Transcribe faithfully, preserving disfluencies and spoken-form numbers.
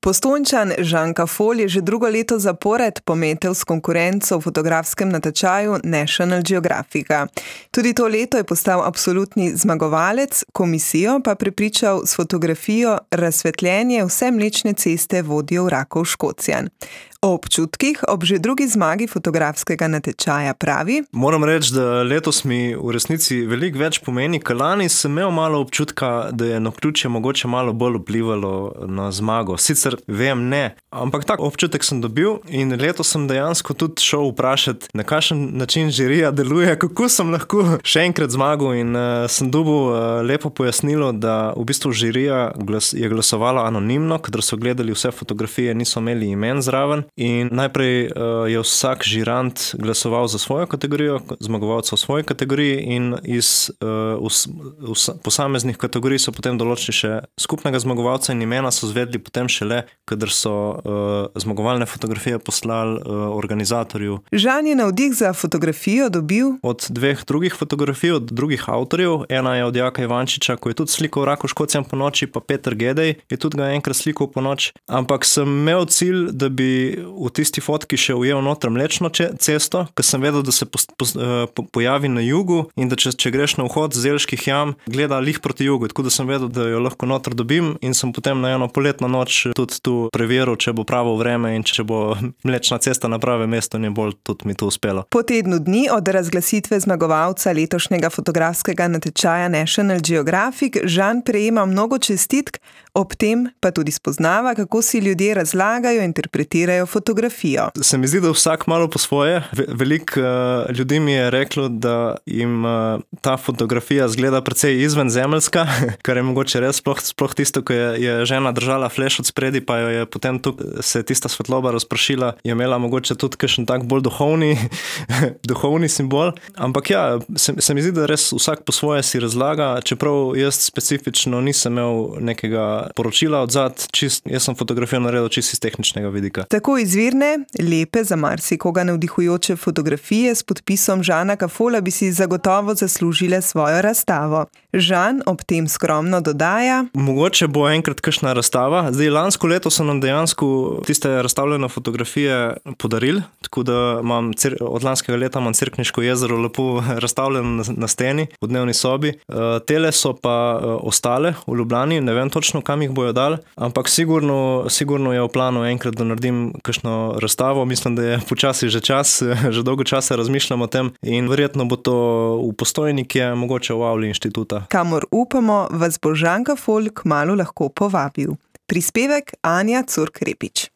Postojnčan Žan Kafol je že drugo leto zapored pometel s konkurenco v fotografskem natečaju National Geographica. Tudi to leto je postal absolutni zmagovalec, komisijo pa prepričal s fotografijo Razsvetljenje vse Mlečne ceste vodijo v Rakov Škocjan. O občutkih ob že drugi zmagi fotografskega natečaja pravi: Moram reči, da letos mi v resnici veliko več pomeni, ker lani sem imel malo občutka, da je naključje mogoče malo bolj vplivalo na zmago. Sicer vem, ne, ampak tak občutek sem dobil in letos sem dejansko tudi šel vprašati, na kakšen način žirija deluje, kako sem lahko še enkrat zmagal in uh, sem dobil uh, lepo pojasnilo, da v bistvu žirija glas, je glasovala anonimno, kadar so gledali vse fotografije, niso imeli imen zraven. In najprej uh, je vsak žirant glasoval za svojo kategorijo, zmagovalca v svoji kategoriji in iz uh, us, us, posameznih kategorij so potem določili še skupnega zmagovalca in imena so zvedli potem šele, kadar so uh, zmagovalne fotografije poslali uh, organizatorju. Žan je navdih za fotografijo dobil od dveh drugih fotografij, od drugih avtorjev. Ena je od Jaka Ivančiča, ko je tudi slikal Rakov Škocjan po noči, pa Peter Gedej je tudi ga enkrat slikal po noč. Ampak sem imel cilj, da bi v tisti fotki še ujel noter Mlečno cesto, ker sem vedel, da se po, po, po, pojavi na jugu in da če, če greš na vhod z Zelških jam, gleda lih proti jugu, tako da sem vedel, da jo lahko noter dobim in sem potem na eno poletno noč tudi tu preveril, če bo pravo vreme in če bo Mlečna cesta na pravem mestu, ne bolj tudi mi to uspelo. Po tednu dni od razglasitve zmagovalca letošnjega fotografskega natečaja National Geographic Žan prejema mnogo čestitk, ob tem pa tudi spoznava, kako si ljudje razlagajo, interpretirajo fotografijo. Se mi zdi, da vsak malo po svoje. Veliko uh, ljudi mi je reklo, da jim uh, ta fotografija zgleda precej izvenzemeljska, kar je mogoče res sploh, sploh tisto, ko je, je žena držala fleš od spredi, pa jo je potem tu se tista svetloba razpršila, je imela mogoče tudi kakšen tak bolj duhovni, duhovni simbol. Ampak ja, se, se mi zdi, da res vsak po svoje si razlaga, čeprav jaz specifično nisem imel nekega poročila odzad, čist, jaz sem fotografijo naredil čisto iz tehničnega vidika. Tako izvirne, lepe, za marsikoga navdihujoče fotografije s podpisom Žana Kafola bi si zagotovo zaslužile svojo razstavo. Žan ob tem skromno dodaja: Mogoče bo enkrat kakšna razstava. Zdaj, lansko leto so nam dejansko tiste razstavljene fotografije podarili, tako da imam, od lanskega leta imam Cerkniško jezero lepo razstavljeno na, na steni, v dnevni sobi. Uh, tele so pa uh, ostale v Ljubljani, ne vem točno, kam jih bojo dali, ampak sigurno, sigurno je v planu enkrat, da naredim kakšno razstavo. Mislim, da je počasi že čas, že dolgo časa razmišljam o tem in verjetno bo to v Postojnike, mogoče v avli inštituta. Kamor upamo, vas bo Žan Kafol kmalu lahko povabil. Prispevek Anja Curk Repič.